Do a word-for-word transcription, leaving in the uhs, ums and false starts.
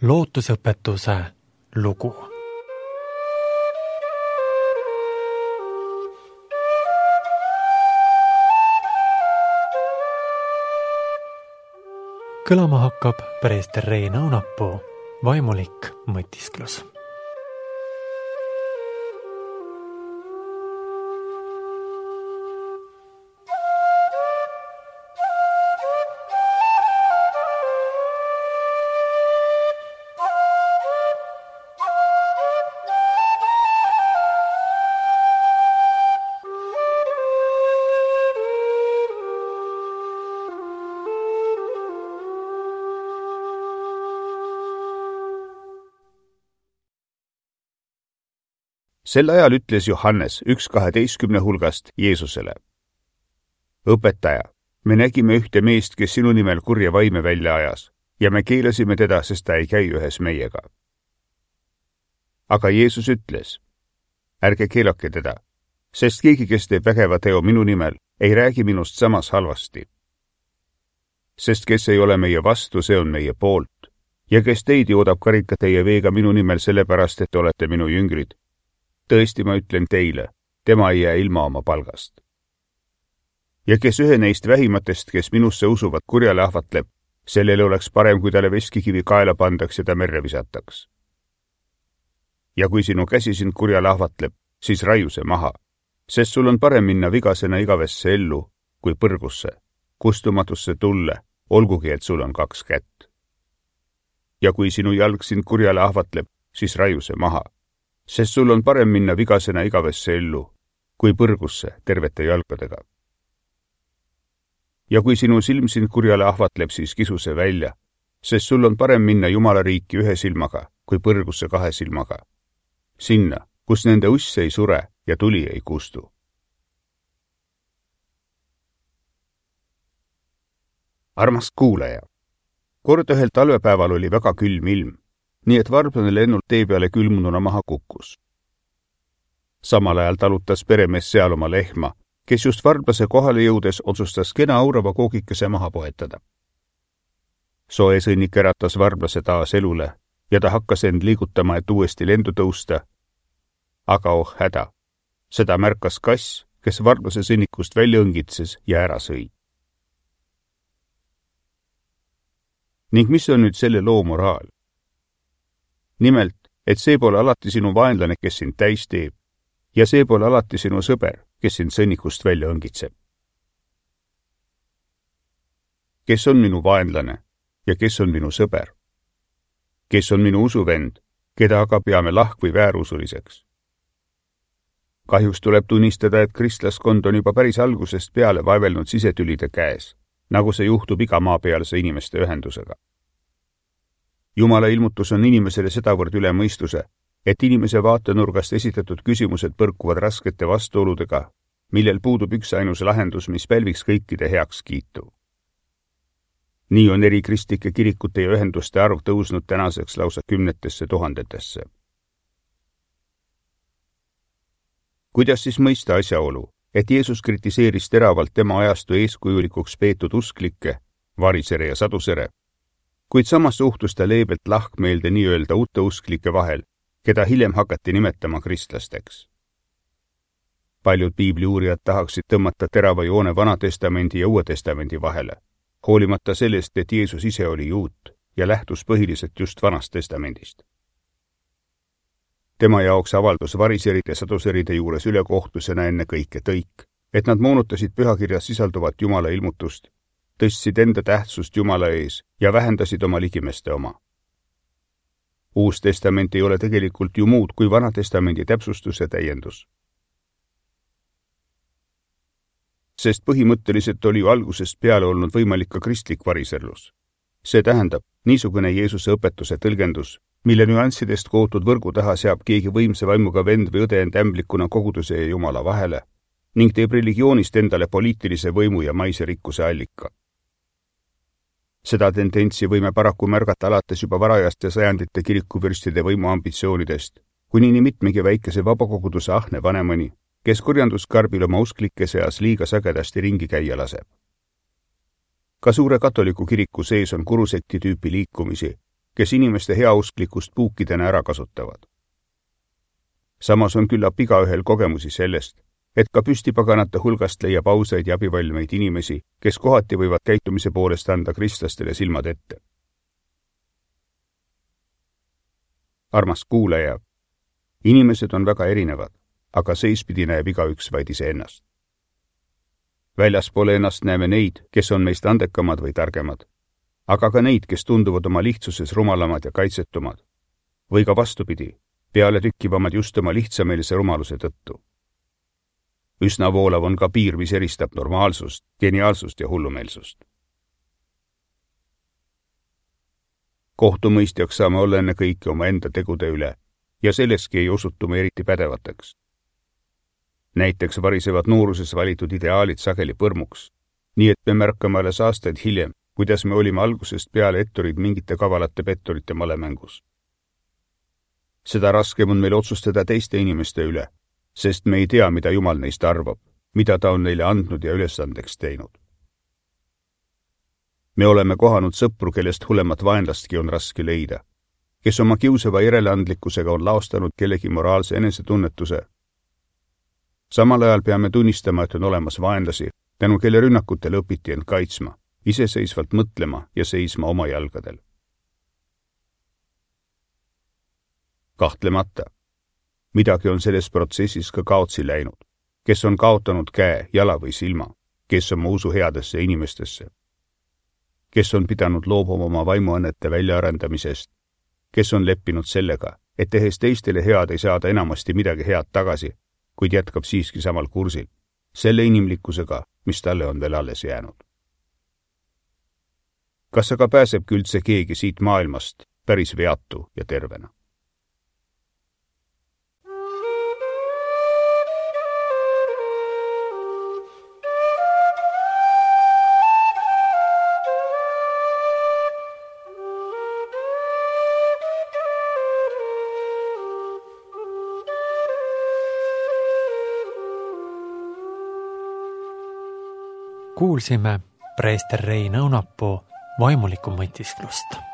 lootusõpetuse lugu. Kõlama hakkab preester Rein Aunapuu vaimulik mõtisklus. Sel ajal ütles Johannes üks kaheteistkümne hulgast Jeesusele: Õpetaja, me nägime ühte meest, kes sinu nimel kurja vaime välja ajas, ja me keelasime teda, sest ta ei käi ühes meiega. Aga Jeesus ütles: ärge keelake teda, sest keegi, kes teeb vägeva teo minu nimel, ei räägi minust samas halvasti. Sest kes ei ole meie vastu, see on meie poolt, ja kes teid joodab karika teie veega minu nimel sellepärast, et olete minu jüngrid. Tõesti, ma ütlen teile, tema ei jää ilma oma palgast. Ja kes ühe neist vähimatest, kes minusse usuvad, kurjale ahvatleb, sellele oleks parem, kui talle veskikivi kaela pandaks ja ta merre visataks. Ja kui sinu käsi sind kurjale ahvatleb, siis raiu see maha, sest sul on parem minna vigasena igavesse ellu, kui põrgusse, kustumatusse tulle, olgugi, et sul on kaks kätt. Ja kui sinu jalg sind kurjale ahvatleb, siis raiu see maha, sest sul on parem minna vigasena igavesse ellu, kui põrgusse tervete jalgadega. Ja kui sinu silm sind kurjale ahvatleb, siis kisu see välja, sest sul on parem minna Jumala riiki ühe silmaga, kui põrgusse kahe silmaga. Sinna, kus nende uss ei sure ja tuli ei kustu. Armas kuulaja, kord ühel talvepäeval oli väga külm ilm, nii et varblane lennult tee peale külmununa maha kukkus. Samal ajal talutas peremees seal oma lehma, kes just varblase kohale jõudes otsustas kena aurava koogikese maha poetada. Soe sõnnik äratas varblase taas elule ja ta hakkas end liigutama, et uuesti lendu tõusta. Aga oh häda, seda märkas kass, kes varblase sõnnikust välja õngitses ja ära sõi. Ning mis on nüüd selle loo moraal? Nimelt, et see pole alati sinu vaenlane, kes sind täis teeb, ja see pole alati sinu sõber, kes sind sõnnikust välja õngitseb. Kes on minu vaenlane ja kes on minu sõber? Kes on minu usuvend, keda aga peame lahk- või väärusuliseks? Kahjuks tuleb tunnistada, et kristlaskond on juba päris algusest peale vaevelnud sisetülide käes, nagu see juhtub iga maapealse inimeste ühendusega. Jumala ilmutus on inimesele sedavõrd üle mõistuse, et inimese vaatenurgast esitatud küsimused põrkuvad raskete vastuoludega, millel puudub üks ainus lahendus, mis pälviks kõikide heaks kiitu. Nii on eri kristlike kirikute ja ühenduste arv tõusnud tänaseks lausa kümnetesse tuhandetesse. Kuidas siis mõista asjaolu, et Jeesus kritiseeris teravalt tema ajastu eeskujulikuks peetud usklikke, varisere ja sadusere, kuid samas suhtus ta leebelt lahkmeelde nii-öelda uute usklike vahel, keda hiljem hakati nimetama kristlasteks. Paljud piibliuurijad tahaksid tõmmata terava joone Vana Testamendi ja Uue Testamendi vahele, hoolimata sellest, et Jeesus ise oli juut ja lähtus põhiliselt just Vanast Testamendist. Tema jaoks avaldus variseride ja saduseride juures ülekohtusena enne kõike tõik, et nad moonutasid pühakirjas sisalduvat Jumala ilmutust, tõstsid enda tähtsust Jumala ees ja vähendasid oma ligimeste oma. Uus testament ei ole tegelikult ju muud kui Vana Testamendi täpsustus ja täiendus. Sest põhimõtteliselt oli ju algusest peale olnud võimalik ka kristlik variserlus. See tähendab, niisugune Jeesuse õpetuse tõlgendus, mille nüanssidest kootud võrgu taha seab keegi võimsa vaimuga vend või õde end ämblikuna koguduse ja Jumala vahele ning teeb religioonist endale poliitilise võimu ja maise rikkuse allika. Seda tendentsi võime paraku märgata alates juba varajaste sajandite kirikuvürstide võimuambitsioonidest, kuni nii mitmegi väikese vabakoguduse ahne vanemani, kes kurjanduskarbil oma usklike seas liiga sagedasti ringi käia laseb. Ka suure katoliku kiriku sees on kurusekti tüüpi liikumisi, kes inimeste heausklikkust puukidena ära kasutavad. Samas on küllap igaühel kogemusi sellest, et ka püstipaganate hulgast leiab ausaid ja abivalmeid inimesi, kes kohati võivad käitumise poolest anda kristlastele silmad ette. Armas kuulaja, inimesed on väga erinevad, aga seispidi näeb igaüks vaid iseennast. Väljaspool ennast näeme neid, kes on meist andekamad või targemad, aga ka neid, kes tunduvad oma lihtsuses rumalamad ja kaitsetumad, või ka vastupidi, peale tükkivamad just oma lihtsameelse rumaluse tõttu. Üsna voolav on ka piir, mis eristab normaalsust, geniaalsust ja hullumeelsust. Kohtumõistjaks saame olla enne kõike oma enda tegude üle ja selleski ei osutume eriti pädevateks. Näiteks varisevad nooruses valitud ideaalid sageli põrmuks, nii et me märkame alles aastaid hiljem, kuidas me olime algusest peale etturid mingite kavalate petturite malemängus. Seda raskem on meil otsustada teiste inimeste üle, sest me ei tea, mida Jumal neist arvab, mida ta on neile andnud ja ülesandeks teinud. Me oleme kohanud sõpru, kellest hullemat vaenlastki on raske leida, kes oma kiusava järeleandlikkusega on laostanud kellegi moraalse enesetunnetuse. Samal ajal peame tunnistama, et on olemas vaenlasi, tänu kelle rünnakutele õpiti end kaitsma, iseseisvalt mõtlema ja seisma oma jalgadel. Kahtlemata, midagi on selles protsessis ka kaotsi läinud, kes on kaotanud käe, jala või silma, kes oma usu headesse inimestesse, kes on pidanud loobuma oma vaimuannete väljaarendamisest, kes on leppinud sellega, et tehes teistele head ei saada enamasti midagi head tagasi, kuid jätkab siiski samal kursil, selle inimlikkusega, mis talle on veel alles jäänud. Kas aga pääsebki üldse keegi siit maailmast päris veatu ja tervena? Kuulsime preester Rein Õunapuu vaimulikku mõtisklust.